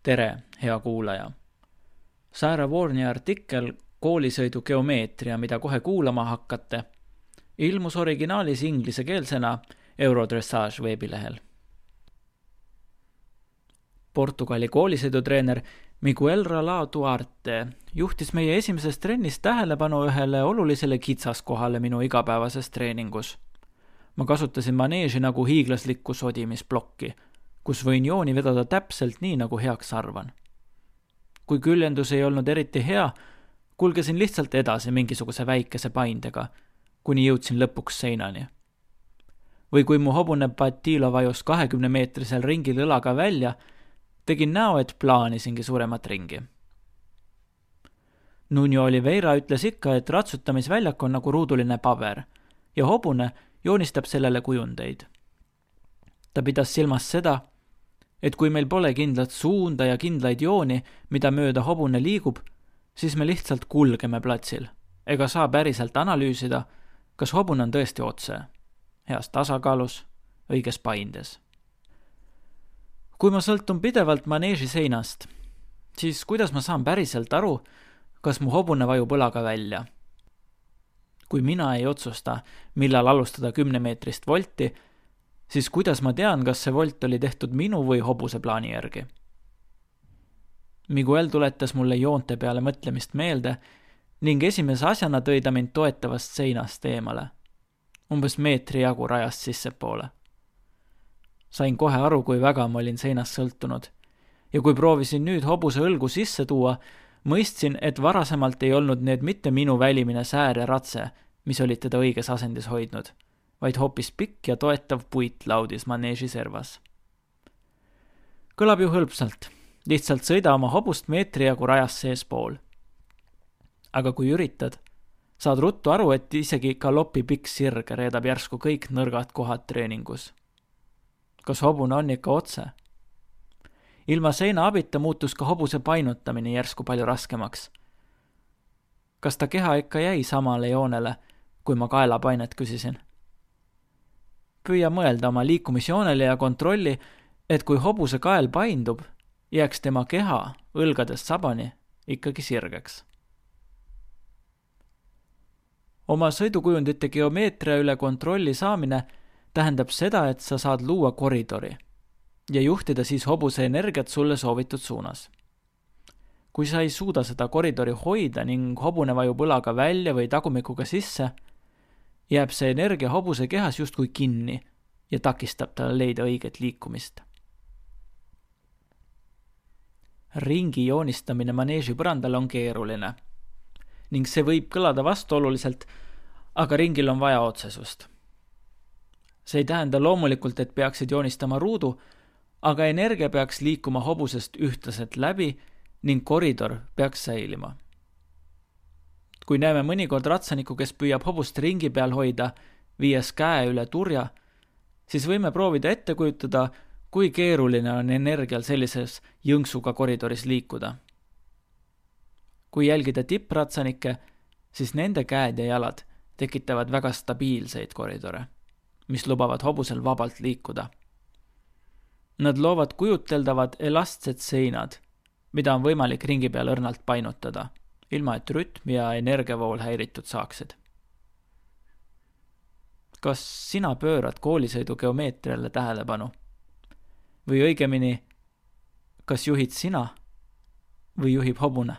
Tere, hea kuulaja! Sarah Warni artikkel Koolisõidu geomeetria, mida kohe kuulama hakkate, ilmus originaalis inglisekeelsena Eurodressage veebilehel. Portugali koolisõidutreener Miguel Ralao Duarte juhtis meie esimeses trennis tähelepanu ühele olulisele kitsaskohale minu igapäevases treeningus. Ma kasutasin maneeži nagu hiiglaslikku sodimisblokki, kus võin jooni vedada täpselt nii, nagu heaks arvan. Kui küljendus ei olnud eriti hea, kulgesin lihtsalt edasi mingisuguse väikese paindega, kuni jõudsin lõpuks seinani. Või kui mu hobune Patilo vajus 20-meetrisel ringil õlaga välja, tegin näo, et plaanisingi suuremat ringi. Nuno Oliveira ütles ikka, et ratsutamisväljak on nagu ruuduline paber ja hobune joonistab sellele kujundeid. Ta pidas silmas seda, et kui meil pole kindlat suunda ja kindlaid jooni, mida mööda hobune liigub, siis me lihtsalt kulgeme platsil, ega saa päriselt analüüsida, kas hobune on tõesti otse, heas tasakaalus, õiges paindes. Kui ma sõltun pidevalt maneeži seinast, siis kuidas ma saan päriselt aru, kas mu hobune vajub õlaga välja? Kui mina ei otsusta, millal alustada 10-meetrist volti, siis kuidas ma tean, kas see volt oli tehtud minu või hobuse plaani järgi? Miguel tuletas mulle joonte peale mõtlemist meelde ning esimese asjana tõi ta mind toetavast seinast eemale. Umbes meetri jagu rajast sissepoole. Sain kohe aru, kui väga ma olin seinast sõltunud. Ja kui proovisin nüüd hobuse õlgu sisse tuua, mõistsin, et varasemalt ei olnud need mitte minu välimine säär ja ratse, mis olid teda õiges asendis hoidnud, vaid hoopis pikk ja toetav puit laudis maneeži servas. Kõlab ju hõlpsalt, lihtsalt sõida oma hobust meetri jagu rajas seespool. Aga kui üritad, saad ruttu aru, et isegi galopi pikk sirge reedab järsku kõik nõrgad kohad treeningus. Kas hobune on ikka otse? Ilma seina abita muutus ka hobuse painutamine järsku palju raskemaks. Kas ta keha ikka jäi samale joonele, kui ma kaelapainet küsisin? Püüa mõelda oma liikumisjoonele ja kontrolli, et kui hobuse kael paindub, jääks tema keha õlgadest sabani ikkagi sirgeks. Oma sõidukujundite geomeetria üle kontrolli saamine tähendab seda, et sa saad luua koridori ja juhtida siis hobuse energiat sulle soovitud suunas. Kui sa ei suuda seda koridori hoida ning hobune vajub õlaga välja või tagumikuga sisse, jääb see energia hobuse kehas justkui kinni ja takistab talle leida õiget liikumist. Ringi joonistamine maneeži põrandal on keeruline ning see võib kõlada vastuoluliselt, aga ringil on vaja otsesust. See ei tähenda loomulikult, et peaksid joonistama ruudu, aga energia peaks liikuma hobusest ühtlaselt läbi ning koridor peaks säilima. Kui näeme mõnikord ratsaniku, kes püüab hobust ringi peal hoida, viies käe üle turja, siis võime proovida ette kujutada, kui keeruline on energial sellises jõnksuga koridoris liikuda. Kui jälgida tippratsanikke, siis nende käed ja jalad tekitavad väga stabiilseid koridore, mis lubavad hobusel vabalt liikuda. Nad loovad kujuteldavad elastsed seinad, mida on võimalik ringi peal õrnalt painutada, ilma et rütm ja energiavool häiritud saaksid. Kas sina pöörad koolisõidu geomeetriale tähelepanu? Või õigemini, kas juhid sina või juhib hobune?